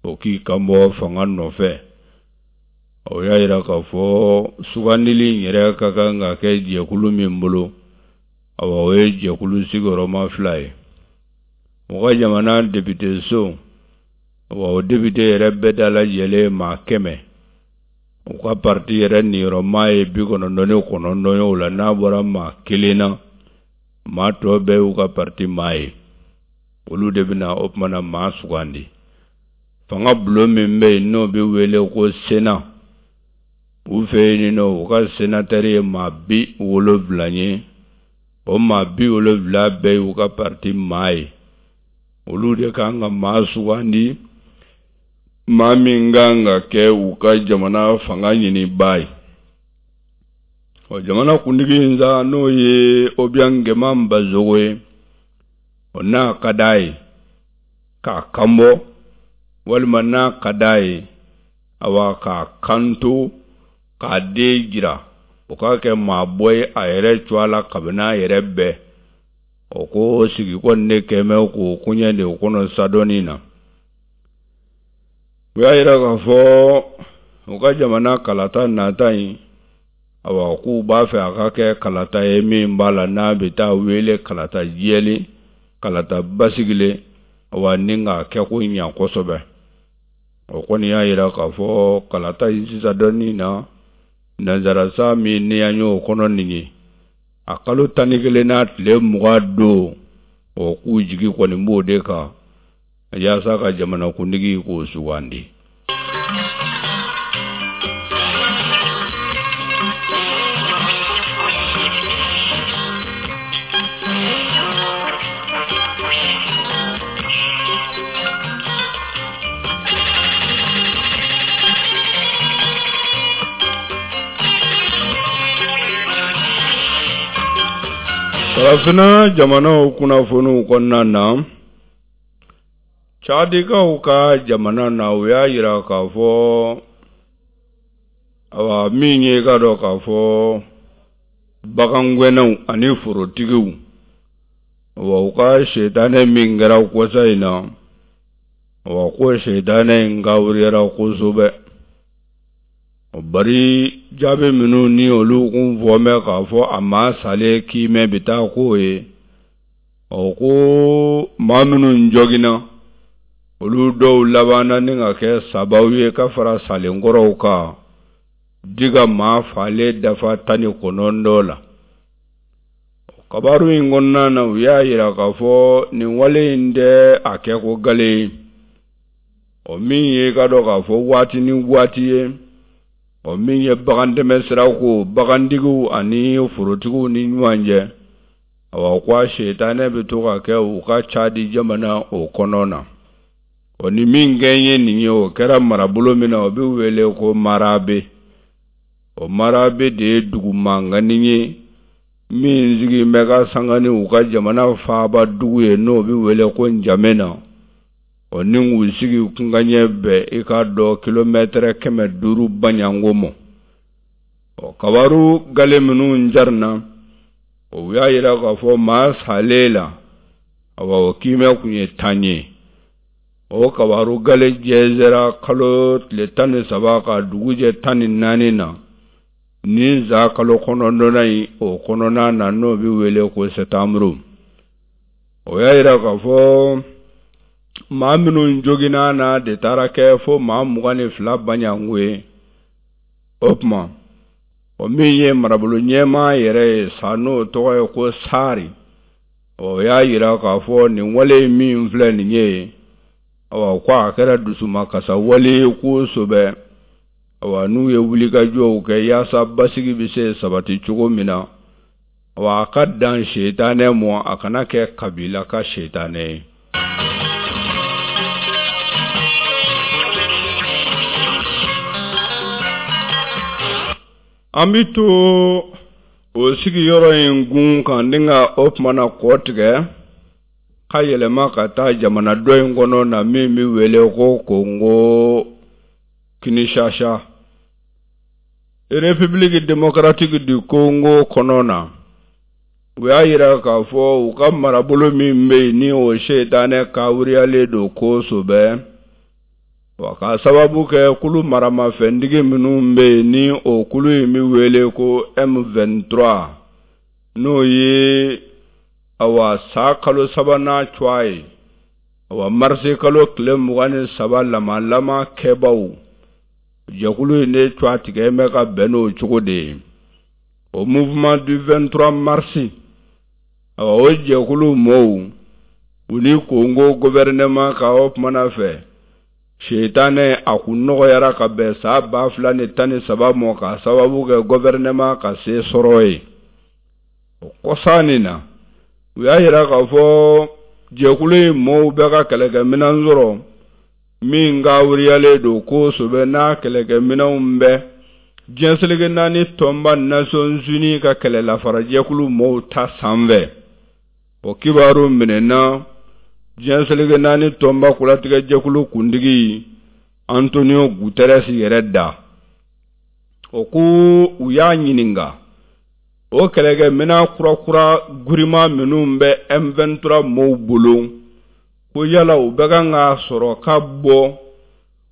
o k'i kanbɔ fanga nɔfɛ. O y'a yira k'a fɔ sugandili in yɛrɛ ka kan ka kɛ jɛkulu min bolo, awa o ye jɛkulu sigiyɔrɔma 2 ye. U ka jamana depite so, awa o depite yɛrɛ bɛɛ da lajɛlen maa 100, u ka parti yɛrɛ niyɔrɔma ye 99 ye. O la, n'a bɔra maa kelen na, maa tɔ bɛɛ y'u ka parti maa ye. Olu de bɛna o tuma na maa sugandi. Fanga bulon min bɛ yen, n'o bɛ wele ko Sénat, u fɛ yen nɔ, u ka sénateur ye maa 70 ye. O maa 70 bɛɛ y'u ka parti maa ye. Olu de kan ka maa sugandi, maa min kan ka kɛ u ka jamana fanga ɲinibaa ye. Ɔ, jamana kuntigi in sa, n'o ye Obiang Nguema Mbasogo ye, o n'a ka d'a ye k'a kanbɔ, walima n'a ka d'a ye, awa k'a kanto k'a den jira, o k'a kɛ maa bɔ ye a yɛrɛ cogoya la kabini a yɛrɛ bɛɛ. O ko sigi kɔni ne kɛmɛ k'o koɲɛ de kɔnɔ sadɔnni na. U y'a yira k'a fɔ u ka jamana kalata nata in, awa k'u b'a fɛ a ka kɛ kalata ye min b'a la n'a bɛ taa wele kalata jɛlen, kalata basigilen, awa ni k'a kɛ ko ɲa kosɛbɛ. O kɔni y'a yira k'a fɔ kalata in sisan dɔɔnin na, nanzarasa min ni an y'o kɔnɔ nin ye, a kalo 11 n'a tile 20 don, o k'u jigi kɔni b'o de kan yaasa ka jamanakuntigi k'o sugandi. Farafinna jamanaw kunnafoniw kɔnɔna na, Cadikaw ka jamana na, u y'a yira k'a fɔ, awa min ye ka dɔn k'a fɔ bagangɛnnaw ani forotigiw, awa u ka setanɛ min kɛra kɔsa in na, awa ko setanɛ in kawuriyara kosɛbɛ. Bari jaabi minnu ni olu kun fɔ bɛ k'a fɔ a maa salen kiimɛ bɛ taa k'o ye, ɔ ko maa minnu joginna, olu dɔw labanna ni ka kɛ sababu ye ka fara salenkɔrɔw kan di ka maa falen dafa 19 la. Kabaru in kɔnɔna na, u y'a yira k'a fɔ nin wale in tɛ a kɛ ko gale ye, o min ye ka dɔn k'a fɔ waati ni waati ye, o min ye bagantɛmɛ sira ko bagantigiw ani forotigiw ni ɲɔgɔn cɛ. Awa ko a setanɛ bɛ to ka kɛ u ka Cadi jamana o kɔnɔ na. O ni min kɛ ye nin ye, o kɛra marabolo min na, o bɛ wele ko Marabe. O Marabe de ye dugu mankanni ye min sigi bɛ ka sanga ni u ka jamana faaba dugu ye, n'o bɛ wele ko Njamena. O ni k'u sigi kunkaɲɛ bɛɛ i k'a dɔn kilomɛtɛrɛ 500 baɲanko ma. Ɔ, kabaru gale minnu jarina, o y'a yira k'a fɔ maa salen la, awa o kiimɛ kun ye 10 ye. O kabaru gale jɛnsɛra kalo tile 13 ka dugu jɛ 14 na ni za kalo 9nan in o kɔnɔna na, n'o bɛ wele ko sɛtanburu. O y'a yira k'a fɔ maa minnu joginna na de taara kɛ fo maa 22 baɲanko ye. O tuma, O min ye marabolo ɲɛmaa yɛrɛ ye sa, n'o tɔgɔ ye ko Sari, o y'a jira k'a fɔ nin wale min filɛ nin ye, awa, ko a kɛra dusumakasa wale ye kosɛbɛ. Awa, n'u ye wulikajɔw kɛ yaasa basigi bɛ se sabati cogo min na, awa, a ka dan setanɛ mɔ, a kana kɛ kabila ka setanɛ ye. An bɛ to o sigiyɔrɔ in gun kan ni ka o tuma na kɔ tigɛ ka yɛlɛma ka taa jamana dɔ in kɔnɔ na min bɛ wele ko Kongo Kinshasa, République démocratique du Congo kɔnɔ na. U y'a jira k'a fɔ u ka marabolo min bɛ yen, ni o setanɛ kawuriyalen don kosɛbɛ, wa k'a sababu kɛ kulu maramafɛntigi minnu bɛ yen, ni o kulu in bɛ wele ko M23, n'o ye, awa, san kalo sabanan cogoya ye, awa, marisi kalo tile 23 lamalama kɛbaw jɛkulu in de cogoya tigɛ bɛ ka bɛn n'o cogo de ye, o Mouvement du 23 mars. Awa, o jɛkulu mɔɔw, u ni Kongo gouvernement ka o kumana fɛ setanɛ a kun nɔgɔyara ka bɛn san 2013 mɔ, k'a sababu kɛ gouvernement ka se sɔrɔ ye. O kɔsa nin na, u y'a jira k'a fɔ jɛkulu in mɔɔw bɛ ka kɛlɛkɛminɛn sɔrɔ min kawuriyalen don kosɛbɛ, n'a kɛlɛkɛminɛnw bɛ diɲɛ seleke naani tɔnba Nations Unies ka kɛlɛlafarajɛkulu mɔɔw ta sanfɛ. O kibaru minɛna diɲɛ seleke naani tɔnba kolatigɛjɛkulu kuntigi Antonio Guterres yɛrɛ da. O ko u y'a ɲininka o kɛlɛkɛminɛn kurakura giriman minnu bɛ M23 mɔɔw bolo, ko yala u bɛ kan k'a sɔrɔ ka bɔ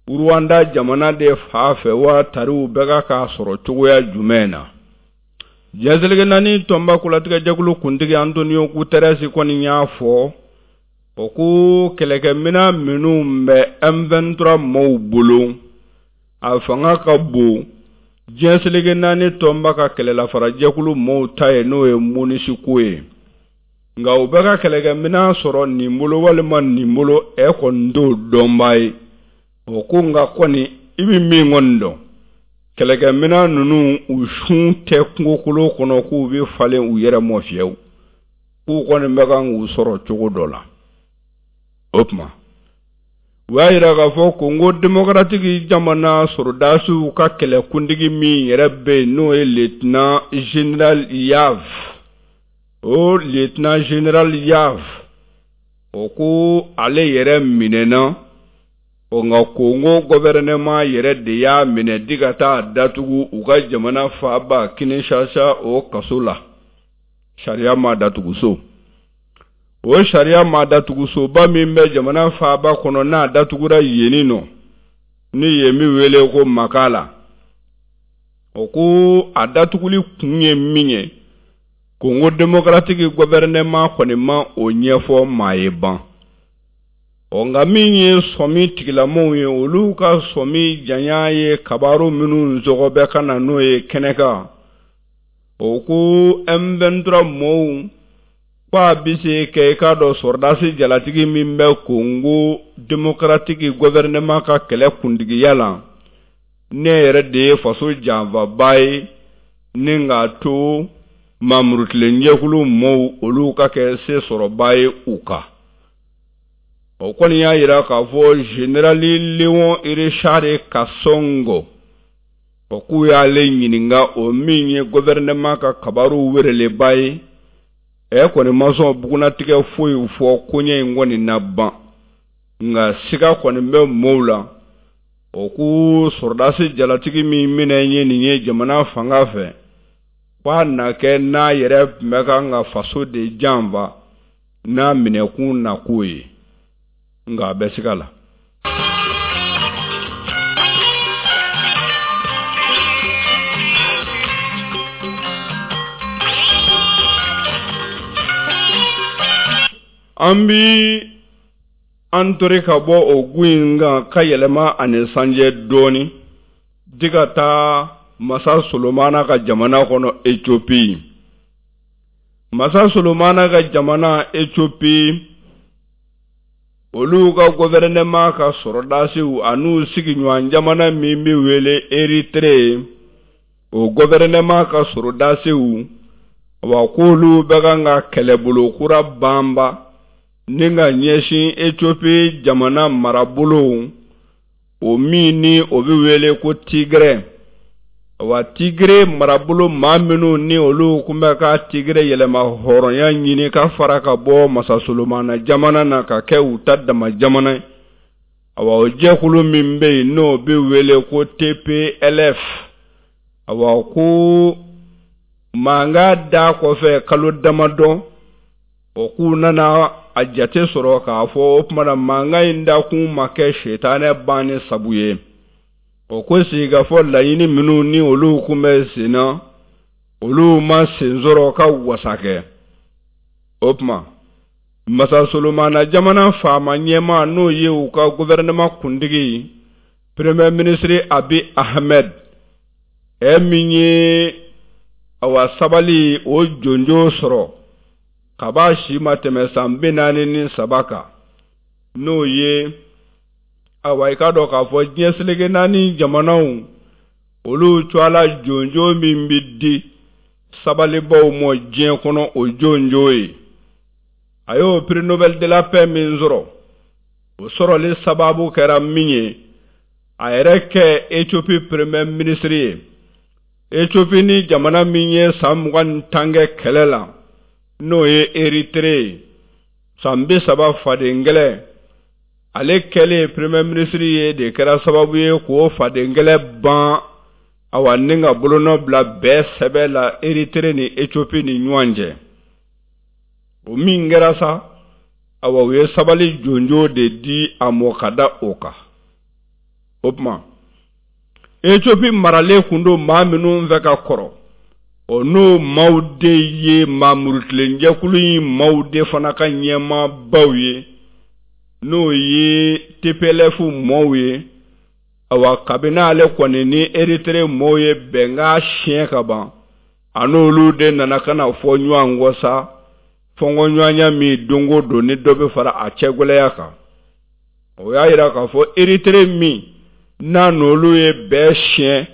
Rwanda jamana de fa fɛ wa, tari u bɛ ka k'a sɔrɔ cogoya jumɛn na? Diɲɛ seleke naani tɔnba kolatigɛjɛkulu kuntigi Antonio Guterres kɔni y'a fɔ o ko kɛlɛkɛminɛn minnu bɛ M23 mɔɔw bolo, a fanga ka bon diɲɛ seleke naani tɔnba ka kɛlɛlafarajɛkulu mɔɔw ta ye, n'o ye MONUSCO ye. Nka u bɛ ka kɛlɛkɛminɛn sɔrɔ nin bolo walima nin bolo, ɛ kɔni t'o dɔnbaa ye. O ko nka kɔni, i bɛ min kɔni dɔn, kɛlɛkɛminɛn ninnu, u sun tɛ kungokolo kɔnɔ k'u bɛ falen u yɛrɛ mɔ fiyewu, k'u kɔni bɛ kan k'u sɔrɔ cogo dɔ la. O tuma, u y'a jira k'a fɔ Kongo démocratique jamana sɔrɔdasiw ka kɛlɛkuntigi min yɛrɛ bɛ yen, n'o ye lieutenant général Yav, o lieutenant général Yav, o ko ale yɛrɛ minɛna. O nka Kongo gouvernement yɛrɛ de y'a minɛ di ka taa datugu u ka jamana faaba Kinshasa, o kaso la, sariya ma datuguso. O sariya ma datugusoba min bɛ jamana faaba kɔnɔ, n'a datugura yenni nɔ, ni yen bɛ wele ko Makala. O ko a datuguli kun ye min ye, Kongo démocratique gouvernement kɔni ma o ɲɛfɔ maa ye ban. Ɔ nka min ye sɔmi tigilamɔgɔw ye, olu ka sɔmi janya ye kabaru minnu sɔgɔbɛ ka na n'o ye kɛnɛ kan, o ko M23 mɔɔw ko a bɛ se kɛ, i k'a dɔn, sɔrɔdasi jalatigi min bɛ Kongo démocratique gouvernement ka kɛlɛ kuntigiya la, ne yɛrɛ de ye faso janfaba ye ni k'a to mamurutilenjɛkulu mɔɔw olu ka kɛ se sɔrɔba ye u kan. O kɔni y'a jira k'a fɔ général Léon Richard Kasongo, o k'u y'ale ɲininka, o min ye gouvernement ka kabaru wereleba ye, ɛ kɔni ma sɔn bugunatigɛ foyi fɔ koɲɛ in kɔni na ban. Nka siga kɔni bɛ mɔɔw la, o ko sɔrɔdasi jalatigi min minɛ ye nin ye jamana fanga fɛ, k'a na kɛ n'a yɛrɛ tun bɛ kan ka faso de janfa n'a minɛkun na k'o ye, nka a bɛ siga la. An bi an tori ka bɔ o gun in kan ka yɛlɛma ani sanjɛ dɔɔni di ka taa Masa Solomana ka jamana kɔnɔ Ethiopie. Masa Solomana ka jamana Ethiopie, olu ka gɔfɛrɛnɛma ka sɔrɔdasiw an'u sigiɲɔgɔn jamana min bɛ wele Eritere, o gɔfɛrɛnɛma ka sɔrɔdasiw, wa k'olu bɛ kan ka kɛlɛbolo kura banba ni ka ɲɛsin Ethiopie jamana marabolo, o min ni o bɛ wele ko Tigre. Wa Tigre marabolo maa minnu ni olu tun bɛ ka Tigre yɛlɛma hɔrɔnya ɲini ka fara ka bɔ Masa Solomana jamana na ka kɛ u ta dama jamana ye. Awa, o jɛkulu min bɛ yen n'o bɛ wele ko TPLF, awa ko mankan da kɔfɛ kalo damadɔ, o k'u nana a jate sɔrɔ k'a fɔ o tuma na mankan in dakun ma kɛ sitanɛ banni sabu ye. O ko sigikafɔ laɲini minnu ni olu kun bɛ sen na, olu ma sen sɔrɔ ka wasa kɛ. O tuma Masa Solomana jamana faama ɲɛmaa, n'o ye u ka gouvernement kuntigi premier ministre Abiy Ahmed, ɛ min ye awa sabali o jonjo sɔrɔ kaba si ma tɛmɛ san 43 kan, n'o ye awa i k'a dɔn k'a fɔ diɲɛ seleke naani jamanaw olu tɔgɔla jonjo min bɛ di sabalibaw ma diɲɛ kɔnɔ, o jonjo ye. A y'o prix Nobel de la paix min sɔrɔ, o sɔrɔli sababu kɛra min ye, a yɛrɛ kɛ Ethiopie premier ministre ye. Ethiopie ni jamana min ye san 20 ni kɛ kɛlɛ la, n'o ye Eritere ye, san 30 fadenkɛlɛ, ale kɛlen premier ministre ye de kɛra sababu ye k'o fadenkɛlɛ ban, awa ni ka bolonɔ bila bɛɛ sɛbɛ la Eritere ni Ethiopie ni ɲɔgɔn cɛ. O min kɛra sa, awa u ye sabali jonjo de di a mɔ ka da o kan. O tuma Ethiopie maralen kun don maa minnu fɛ ka kɔrɔ, o n'o maaw de ye maa murutilenjɛkulu in maaw de fana ka ɲɛmaabaw ye, n'o ye TPLF mɔɔw ye. Awa, kabini ale kɔni ni Eritere mɔɔw ye bɛnkan siɲɛ ka ban, a n'olu de nana ka na fɔ ɲɔgɔn kɔ sa, fɔnkɔɲɔgɔnya min don o don ni dɔ bɛ fara a cɛgɛlɛya kan. O y'a yira k'a fɔ Eritere min n'a n'olu ye bɛɛ siɲɛ,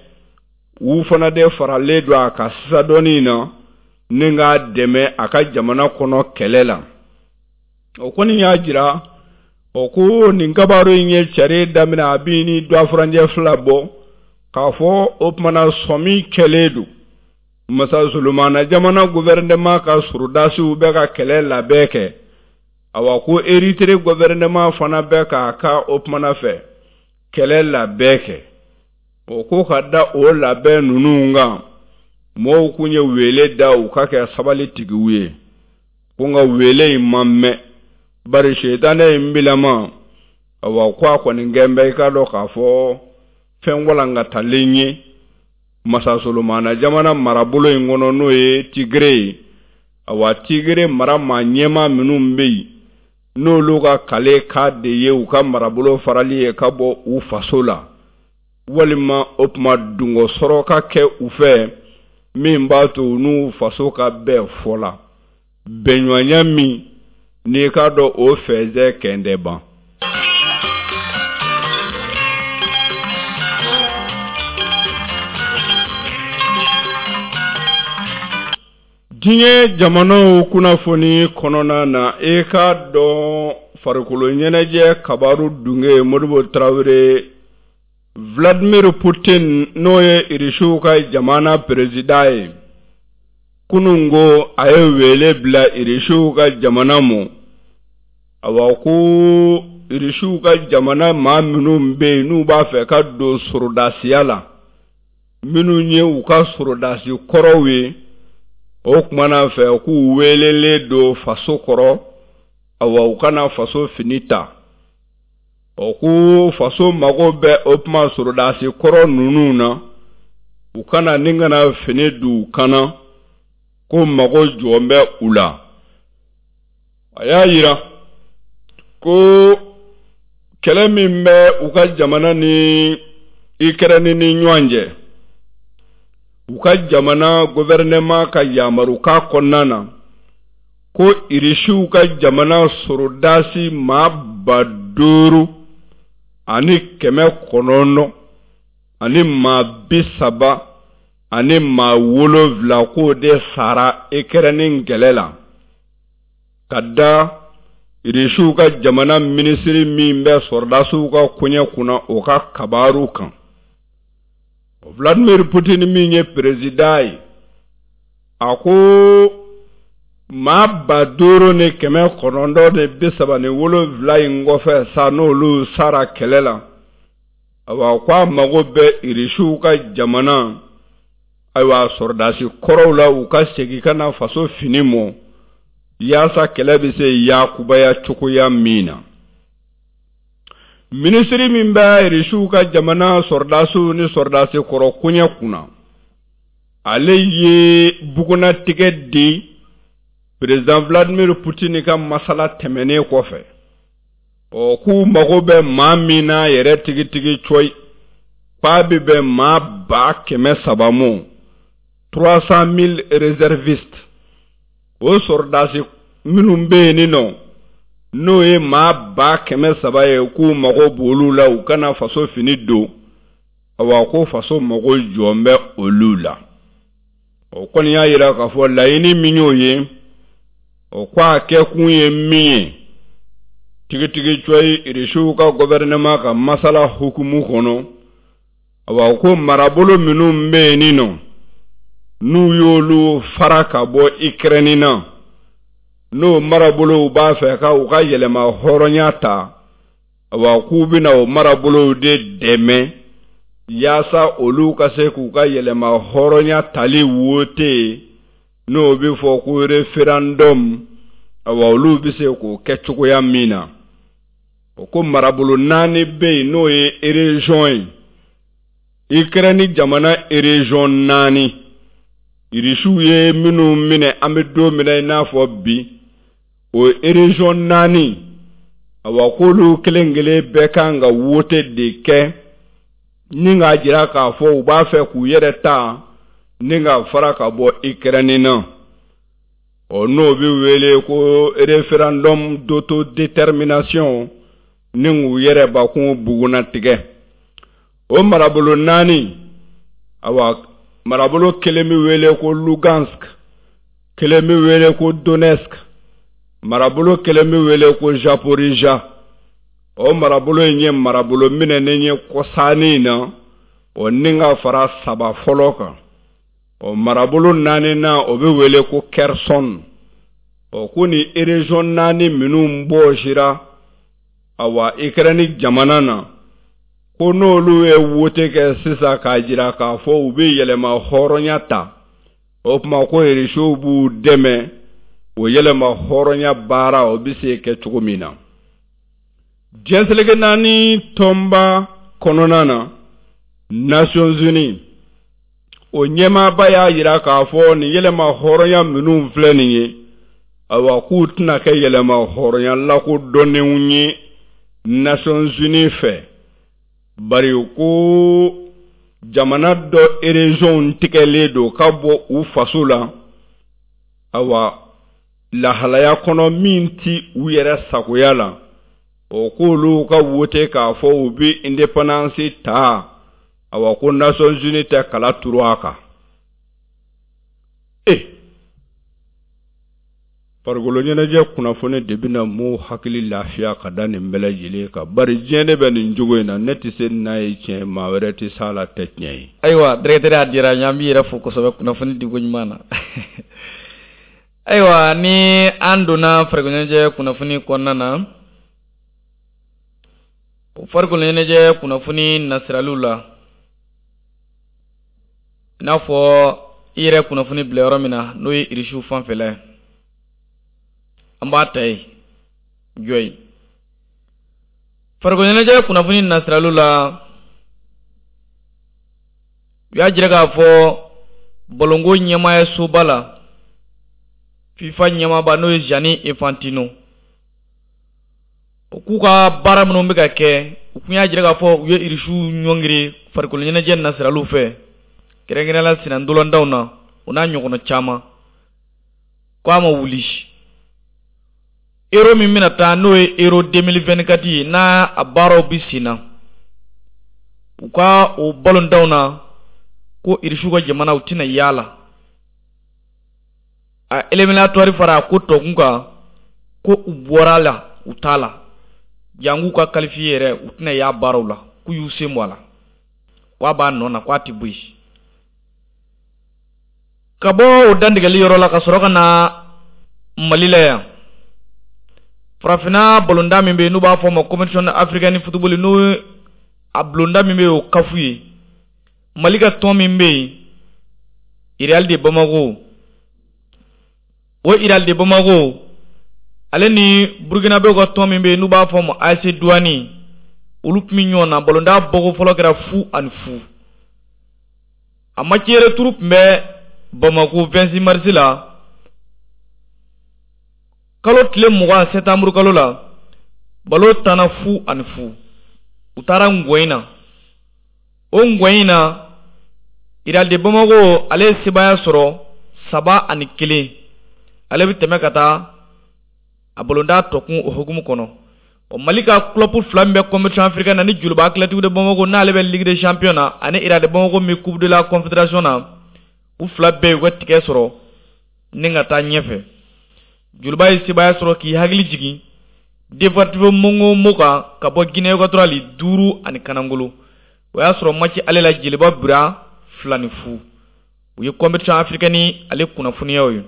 u fana de faralen don a ka sisan dɔɔnin na ni k'a dɛmɛ a ka jamana kɔnɔ kɛlɛ la. O kɔni y'a jira o ko nin kabaru in ye cari daminɛ, a bɛ ni dɔfuranjɛ 2 bɔ, k'a fɔ o tumana sɔmi kɛlen don Masa Solomana jamana gouvernement ka sɔrɔdasiw bɛ ka kɛlɛ labɛn kɛ. Awa, ko Eritere gouvernement fana bɛ k'a ka o tumana fɛ kɛlɛ labɛn kɛ. O ko ka da o labɛn ninnu kan, mɔgɔw kun ye wele da u ka kɛ sabali tigiw ye, ko nka wele in ma mɛn, bari sitanɛ in bilama, awa ko a kɔni kɛn bɛ i k'a dɔn k'a fɔ fɛn walankatalen ye Masa Solomana jamana marabolo in kɔnɔ, n'o ye Tigre ye. Awa, Tigre mara maa ɲɛmaa minnu bɛ yen, n'olu ka kale ka de ye u ka marabolo farali ye ka bɔ u faso la, walima o tuma dungɔ sɔrɔ ka kɛ u fɛ min b'a to u n'u faso ka bɛn fɔ la, bɛnɲɔgɔnya min n'i k'a dɔn o fɛnsɛ kɛn ban. Diɲɛ jamanaw kunnafoni kɔnɔna na, e k'a dɔn farikolo ɲɛnajɛ kabaru dunge Modibo Tarawele, Vladimir Putin, n'o ye Irisiw ka jamana président ye, kunun ko a ye wele bila Irisiw ka jamana ma. Awa, ko Irisiw ka jamana maa minnu bɛ yen n'u b'a fɛ ka don sorodasiya la, minnu ye u ka sorodasi kɔrɔw ye, o kumana fɛ k'u welelen don faso kɔrɔ, awa u kana faso fini ta. O ko faso mago bɛ o tuma sorodasi kɔrɔ ninnu na, u kana ni kana fini don u kana, ko mago jɔn bɛ u la. A y'a yira ko kɛlɛ min bɛ u ka jamana ni Ukraine ni ɲɔgɔn cɛ. U ka jamana gouvernement ka yamarukan kɔnɔna na, ko Irisiw ka jamana sorodasi maa 5937, k'o de sara Ikɛrɛni kɛlɛ la, ka da Irisiw ka jamana minisiri min bɛ sɔrɔdasiw ka koɲɛ kunna, o ka kabaru kan. Vladimir Putin min ye président ye, a ko maa 5937 in kɔfɛ sa, n'olu sara kɛlɛ la, ayiwa, ko a mago bɛ Irisiw ka jamana, ayiwa, sɔrɔdasi kɔrɔw la, u ka segin ka na faso fini mɔ, yaasa kɛlɛ bɛ se yakubaya cogoya min na. Minisiri min bɛ Irisiw ka jamana sɔrɔdasiw ni sɔrɔdasi kɔrɔ koɲɛ kunna, ale ye bugunnatigɛ di président Vladimir Putin ka masala tɛmɛnen kɔfɛ. Ɔ, k'u mago bɛ maa min na yɛrɛ tigitigi cɔyi, k'a bɛ bɛn maa 300,000 mɔ, 300 000 réservistes. O sɔrɔdasi minnu bɛ yen nɔ, n'o ye maa 300,000 ye, k'u mago b'olu la, u kana faso fini don. Awa, ko faso mago jɔn bɛ olu la. O kɔni y'a yira k'a fɔ laɲini min y'o ye, o ko a kɛkun ye min ye tigitigi cɔyi, Irisiw ka gouvernement ka masala hukumu kɔnɔ, awa, ko marabolo minnu bɛ yen nɔ, n'u y'olu fara ka bɔ Ikɛrɛni na, n'o marabolow b'a fɛ ka u ka yɛlɛma hɔrɔnya ta, awa, k'u bɛna o marabolow de dɛmɛ yaasa olu ka se k'u ka yɛlɛma hɔrɔnya tali wote, n'o bɛ fɔ ko référendum, awa, olu bɛ se k'o kɛ cogoya min na. O ko marabolo naani bɛ yen, n'o ye région ye, Ikɛrɛni jamana région naani, Irisiw ye minnu minɛ an bɛ don min na i n'a fɔ bi, o région naani, awa, k'olu kelen kelen bɛɛ kan ka wote de kɛ ni k'a jira k'a fɔ u b'a fɛ k'u yɛrɛ ta ni ka fara ka bɔ Ikɛrɛni na. Ɔ, n'o bɛ wele ko référendum d'autodétermination, ni k'u yɛrɛ bakun bugunnatigɛ. O marabolo naani, awa, marabolo kelen bɛ wele ko Lugansk, kelen bɛ wele ko Donetsk, marabolo kelen bɛ wele ko Zaporizhia. O marabolo in ye marabolo minɛnen ye kɔsannin na, o ni ka fara saba fɔlɔ kan. Ɔ, marabolo naaninan, o bɛ wele ko Kherson. Ɔ, ko ni région naani minnu bɔsira, awa, Ikɛrɛni jamana na, ko n'olu ye wote kɛ sisan k'a jira k'a fɔ u bɛ yɛlɛma hɔrɔnya ta, o tuma ko Irisiw b'u dɛmɛ o yɛlɛma hɔrɔnya baara, o bɛ se kɛ cogo min na. Diɲɛ seleke naani tɔnba kɔnɔna na, Nations Unies, o ɲɛmaaba y'a jira k'a fɔ nin yɛlɛma hɔrɔnya minnu filɛ nin ye, ayiwa, k'u tɛna kɛ yɛlɛma hɔrɔnya lakodɔnnenw ye Nations Unies fɛ, bari ko jamana dɔ région tigɛlen don ka bɔ u faso la, awa, lahalaya kɔnɔ min ti u yɛrɛ sagoya la. O k'olu ka wote k'a fɔ u bɛ indépendance ta, awa, ko Nations Unies tɛ kala turu a kan. E farikolo ɲɛnajɛ kunnafoni de bɛna m'o hakili lafiya ka da nin bɛɛ lajɛlen kan, bari diɲɛ de bɛ nin cogo in na. Ne tɛ se n'a ye tiɲɛ, maa wɛrɛ tɛ s'a la, tɛ tiɲɛ ye. Ayiwa, directeur, a diyara n ye. An b'i yɛrɛ fo kosɛbɛ kunnafoni diko ɲuman na. Ayiwa, ni an donna farikolo ɲɛnajɛ kunnafoni kɔnɔna na, o farikolo ɲɛnajɛ kunnafoni nasiraliw la, i n'a fɔ i yɛrɛ kunnafoni bila yɔrɔ min na, n'o ye Irisiw fanfɛla ye, an b'a ta yen jɔ ye. Farikolo ɲɛnajɛ kunnafoni nasiraliw la, u y'a jira k'a fɔ balonko ɲɛmaaya soba la, FIFA ɲɛmaaba, n'o ye Gianni Infantino, o k'u ka baara minnu bɛ ka kɛ, u kun y'a jira k'a fɔ u ye Irisiw ɲɔngiri farikolo ɲɛnajɛ nasiraliw fɛ. kɛrɛnkɛrɛnnenya la senna na, o n'a ɲɔgɔnna caman, ko a ma wuli. Euro min bɛna taa, n'o ye Euro 2024 ye, n'a a baaraw bɛ sen na u ka o balontanw na, ko Irisiw ka jamana u tɛna yaala a éliminatoire fara a ko tɔkun kan, ko u bɔra la, u t'a la jangu ka qualifié yɛrɛ, u tɛna y'a baaraw la, k'u y'u sen bɔ a la, k'a b'a nɔ na, k'a tɛ bɔ yen. Ka bɔ o dantigɛli yɔrɔ la ka sɔrɔ ka na Mali la yan, farafinna balontan min bɛ yen n'u b'a fɔ o ma Compétition africaine football, n'o a bulonda min bɛ yen o CAF ye, Mali ka tɔn min bɛ yen, Real de Bamako, o Real de Bamako ale ni Burukinabew ka tɔn min bɛ yen n'u b'a fɔ o ma AS Douane, olu tun bɛ ɲɔgɔn na. Balontan bɔko fɔlɔ kɛra 0-0. A match retour tun bɛ Bamako 26 mars la, kalo tile 20 septembre kalo la. Balo tanna 0-0. U taara ngɔyin na, o ngɔyin na Real de Bamako ale ye sebaaya sɔrɔ 3-1. Ale bɛ tɛmɛ ka taa a balontan tɔkun o hukumu kɔnɔ. O Mali ka club fila min bɛ compétition africaine na, ni Joliba Athlétique de Bamako n'ale bɛ Ligue des champions na, ani Real de Bamako min Coupe de la Confédération na, u fila bɛɛ y'u ka tigɛ sɔrɔ ni ka taa ɲɛfɛ. Joliba ye sebaaya sɔrɔ k'i hakili jigin Deportivo Mongo kan ka bɔ Guinée Équatoriale 5-1. O y'a sɔrɔ match ale la Joliba bira 2-0. U ye compétition africaine ale kunnafoniyaw ye.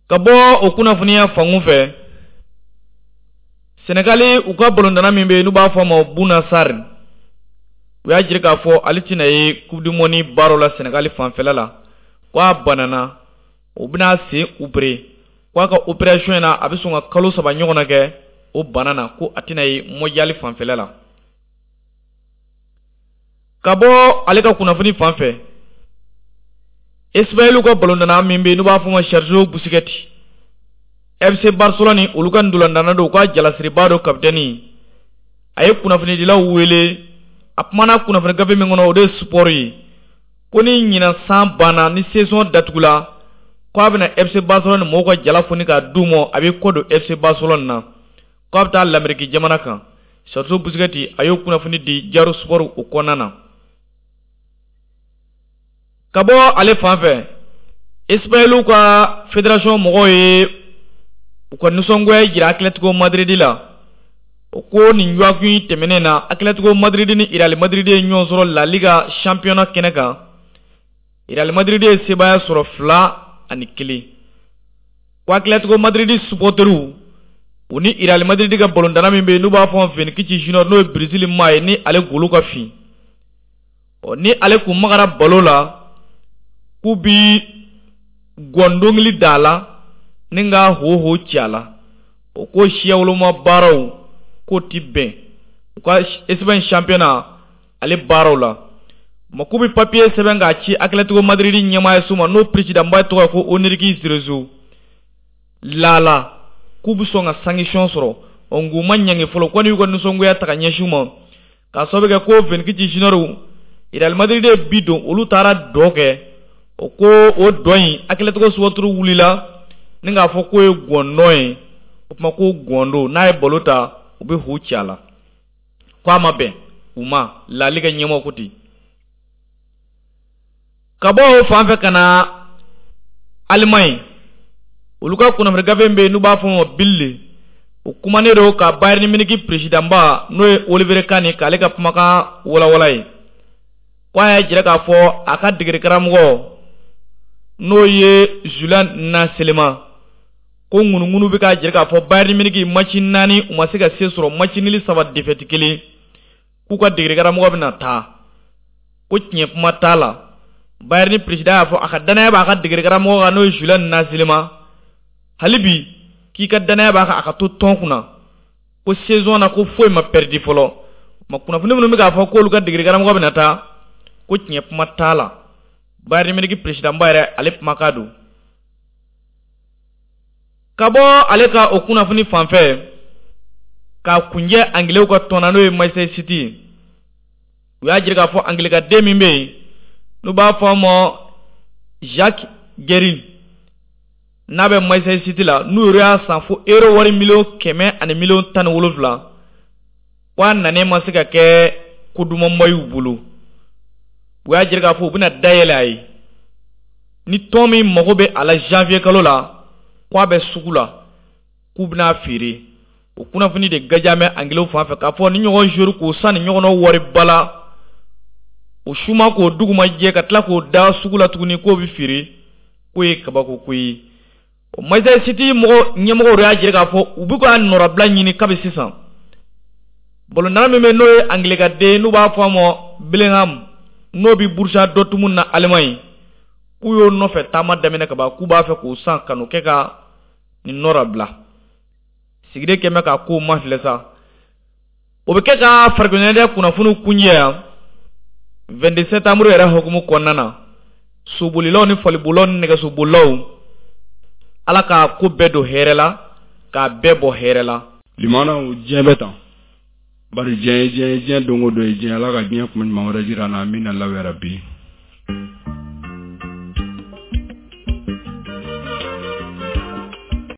Ka bɔ o kunnafoniya fankun fɛ, Senegali u ka balontanna min bɛ yen n'u b'a fɔ a ma Bouna Sarr, u y'a jira k'a fɔ ale tɛna ye Coupe du monde baaraw la Senegali fanfɛla la, ko a banana, o bɛna sen opéré, ko a ka opération in na a bɛ sɔn ka kalo 3 ɲɔgɔnna kɛ o bana na, ko a tɛna ye mondial fanfɛla la. Ka bɔ ale ka kunnafoni fan fɛ, Espagne ka balontanna min bɛ yen n'u b'a fɔ o ma Sergio Busquets, FC Barcelone olu ka ntolantanna don, u ka jalasiriba don, capitaine, a ye kunnafonidilaw wele, a kumana kunnafoni gafe min kɔnɔ, o de ye Sport ye, ko ni ɲinan san banna, ni saison datugula, ko a bɛna FC Barcelone mɔgɔw ka jala foni k'a d'u ma, a bɛ kɔ don FC Barcelone na, ko a bɛ taa l'Amérique jamana kan. Sergio Busquets a y'o kunnafoni di Diario Sport o kɔnɔna na. Ka bɔ ale fan fɛ, Espagne ka fédération mɔgɔw ye u ka nisɔngoya jira Atlético Madrid la. O ko nin dɔgɔkun tɛmɛnen na, Atlético Madrid ni Real Madrid ye ɲɔgɔn sɔrɔ La Liga championnat kɛnɛ kan. Real Madrid ye sebaaya sɔrɔ 2-1. Ko Atlético Madrid supporteriw u ni Real Madrid ka balontanna min bɛ yen n'u b'a fɔ Vinicius Junior, n'o ye Brésil maa ye, ni ale golo ka fin, ɔ ni ale kun magara balo la, k'u bi gɔndongili da a la ni ka ho ci a la. O ko siyawoloma baaraw k'o ti bɛn u ka Espagne championnat ale baaraw la ma, k'u bɛ papier sɛbɛn k'a ci Atlético Madrid ɲɛmaaya ma, n'o président ba tɔgɔ ye ko Enrique Cerezo lala, k'u bɛ sɔn ka sanction sɔrɔ. Ɔ nk'u ma ɲangi fɔlɔ, ko y'u ka nisɔngoya ta ka ɲɛsin u ma k'a sababu kɛ ko Vinicius Junior, Real Madrid ye bi don, olu taara dɔ kɛ, o ko o dɔ in Atlético supporter wulila ni k'a fɔ k'o ye gɔndɔn ye. O tuma ko gɔndo n'a ye balo ta, u bɛ hu ci a la, ko a ma bɛn u ma. La Liga ɲɛmɔgɔ ko ten. Ka bɔ o fan fɛ ka na Allemagne, olu ka kunnafoni gafe min bɛ yen n'u b'a fɔ o ma Bild, o kumanen don ka Bayern Munich président ba n'o ye Oliver Kahn k'ale ka kumakan walawala ye, ko a y'a jira k'a fɔ a ka degeli karamɔgɔ n'o ye Julian Nagelsmann, ko ŋunuŋunu bɛ k'a jira k'a fɔ Bayern Munich match 4 u ma se ka se sɔrɔ, match nul 3, défaite 1, k'u ka degeli karamɔgɔ bɛna taa, ko tiɲɛ kuma t'a la. Bayern président y'a fɔ a ka danaya b'a ka degeli karamɔgɔ kan n'o ye Julian Nagelsmann, hali bi k'i ka danaya b'a kan a ka to tɔn kunna, ko saison na ko foyi ma perdu fɔlɔ. Ma kunnafoni minnu bɛ k'a fɔ k'olu ka degeli karamɔgɔ bɛna taa, ko tiɲɛ kuma t'a la. Bayern Munich président ba yɛrɛ ale kumakan don. Ka bɔ ale ka o kunnafoni fan fɛ k'a kunjɛ, Anglais ka tɔn na n'o ye Manchester City ye. U y'a jira k'a fɔ angilikaden min bɛ yen n'u b'a fɔ a ma Jack Grealish, n'a bɛ Manchester City la, n'u yɛrɛ y'a san fo euro wari 117 miliyɔn, ko a nanen ma se ka kɛ ko dumanba y'u bolo. U y'a jira k'a fɔ u bɛna dayɛlɛ a ye ni tɔn min mago bɛ a la janvier kalo la, ko a bɛ sugu la, k'u bɛna feere. O kunnafoni de gaja bɛ angilɛw fan fɛ k'a fɔ ni ɲɔgɔn joueur k'o san ni ɲɔgɔnna wariba la, o suma k'o duguma jɛ ka tila k'o da sugu la tuguni k'o bɛ feere, k'o ye kabako ko ye. O Manchester City mɔgɔ ɲɛmɔgɔw de y'a jira k'a fɔ u bɛ ka nɔrabila ɲini kabi sisan. Balontanna min bɛ, n'o ye angilɛkaden, n'u b'a fɔ a ma Bellingham, n'o bɛ Borussia Dortmund na Allemagne, k'u y'o nɔfɛ taama daminɛ ka ban, k'u b'a fɛ k'o san ka n'o kɛ ka nin nɔrabila. Sigiden kɛmɛ k'a ko ma filɛ sa, o bɛ kɛ ka farikolo ɲɛnajɛ kunnafoniw kunjɛ yan 22 septembre yɛrɛ hukumu kɔnɔna na. Sobolilaw ni falibolilaw ni nɛgɛsobolilaw, Ala ka ko bɛɛ don hɛrɛ la, k'a bɛɛ bɔ hɛrɛ la. Limanaw, diɲɛ bɛ tan, bari diɲɛ ye diɲɛ ye, diɲɛ don o don ye diɲɛ. Ala ka diɲɛ kuma ɲuman wɛrɛ jira an na. Amina, law yarabi.